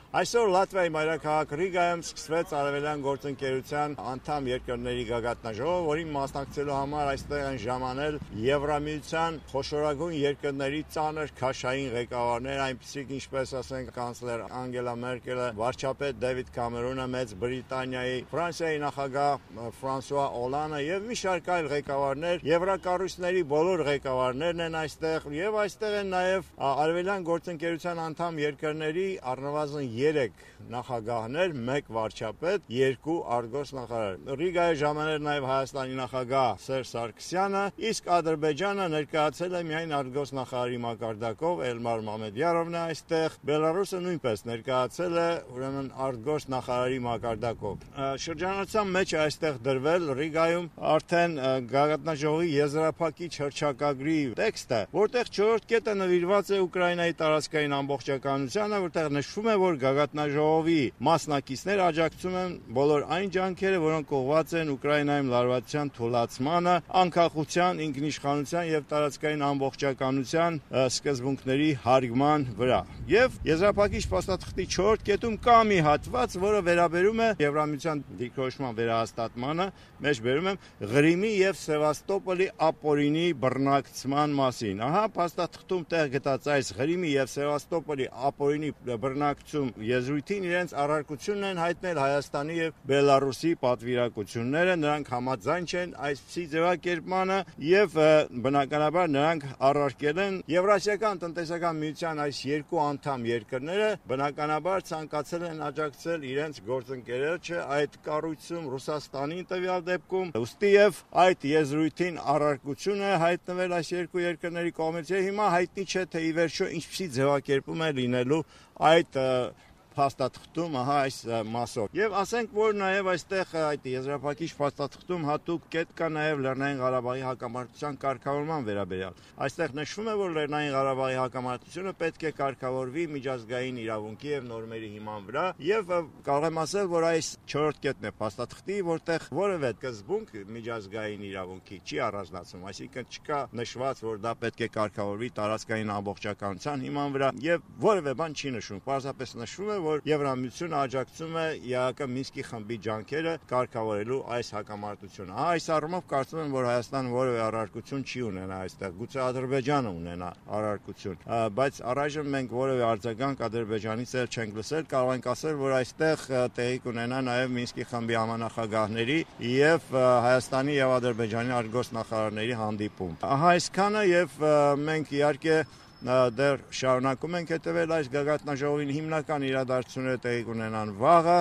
Այսօր Լատվիայի մայրաքաղաք Ռիգայում սկսվեց Արևելյան գործընկերության անդամ երկրների գագաթնաժողով, որին մասնակցելու համար այստեղ են ժամանել Եվրամիության խոշորագույն երկրների ծանր քաշային ղեկավարներ, այնպիսիք ինչպես ասենք կանցլեր Անգելա Մերկելը, վարչապետ Դեվիդ Կամերոնը, Մեծ Բրիտանիայի, Ֆրանսիայի նախագահ Ֆրանսուଆ Օլանդը եւ մի շարք այլ ղեկավարներ, եվրակառույցների բոլոր ղեկավարներն են այստեղ եւ այստեղ են նաեւ Արևելյան գործընկերության անդամ երկրների առնվազն 3 նախագահներ, 1 վարչապետ, 2 արգոս նախարար։ Ռիգայի ժամաներ նաև Հայաստանի նախագահ Սերժ Սարգսյանը, իսկ Ադրբեջանը ներկայացել է միայն արգոս նախարարի մակարդակով, Էլմար Մամեդյարովն է այստեղ, Բելարուսը նույնպես ներկայացել է ուրեմն արգոս նախարարի մակարդակով։ Շրջանառության մեջ է այստեղ դրվել Ռիգայում արդեն գագաթնաժողովի եզրափակիչ հռչակագրի տեքստը, որտեղ 4-րդ կետը նվիրված է Ուկրաինայի տարածքային ամբողջականությանը, որտեղ նշվում է, որ գագաթնաժողովի մասնակիցներ աջակցում են բոլոր այն ջանքերը, որոնք ուղղված են Ուկրաինայում լարվածության թուլացմանը, անկախության, ինքնիշխանության եւ տարածքային ամբողջականության սկզբունքների հարգման վրա։ Եվ եզրափակիչ փաստաթղթի 4-րդ կետում կա մի հատված, որը վերաբերում է Եվրամիության դիրքորոշման վերահաստատմանը, մեջ բերում եմ Ղրիմի եւ Սևաստոպոլի ապօրինի բռնակցման մասին։ Ահա փաստաթղթում տեղ գտած այս Ղրիմի եւ Սևաստոպոլի ապօրինի բռնակցում եզրույթին իրենց առարկությունն են հայտնել Հայաստանի եւ Բելարուսի պատվիրակությունները, նրանք համաձայն չեն այսպիսի ձևակերպմանը եւ բնականաբար նրանք առարկել են Եվրասիական տնտեսական միության այս երկու անդամ երկրները, բնականաբար ցանկացել են աջակցել իրենց գործընկերոջը այդ կառույցում Ռուսաստանին տվյալ դեպքում, ուստիև այդ եզրույթին առարկությունը հայտնվել այս երկու երկրների կողմից եւ հիմա հայտնի չէ թե ի վերջո ինչպիսի ձևակերպում է լինելու այդ փաստաթղթում, ահա այս մասով։ Եվ ասենք, որ նաև այստեղ այդ եզրափակիչ փաստաթղթում հատուկ կետ կա նաև Լեռնային Ղարաբաղի հակամարտության կարգավորման վերաբերյալ։ Այստեղ նշվում է, որ Լեռնային Ղարաբաղի հակամարտությունը պետք է կարգավորվի միջազգային իրավունքի եւ նորմերի հիման վրա, եւ կարող եմ ասել, որ այս 4-րդ կետն է փաստաթղթի, որտեղ որևէ սկզբունք միջազգային իրավունքի չի առանձնացվում, այսինքն չկա նշված, որ դա պետք է կարգավորվի տարածքային ամբողջականության հիման վրա, եւ որևէ բան չի նշվում, պարզապես նշվում է, որ Եվրամիությունը աջակցում է ԵԱԿ Մինսկի խմբի ջանքերը կարգավորելու այս հակամարտությունը։ Այս առումով կարծում եմ, որ Հայաստանը որևէ առարկություն չի ունենա այստեղ, գուցե Ադրբեջանը ունենա առարկություն, բայց առայժմ մենք որևէ արձագանք Ադրբեջանից էլ չենք լսել, կարող ենք ասել, որ այստեղ տեղի կունենա նաև Մինսկի խմբի համանախագահների եւ Հայաստանի եւ Ադրբեջանի արգոս նախարարների հանդիպում։ Ահա այսքանը եւ մենք իհարկե դեռ շարունակում ենք հետևել այս գագաթնաժողովին, հիմնական իրադարձությունները տեղի կունենան վաղը։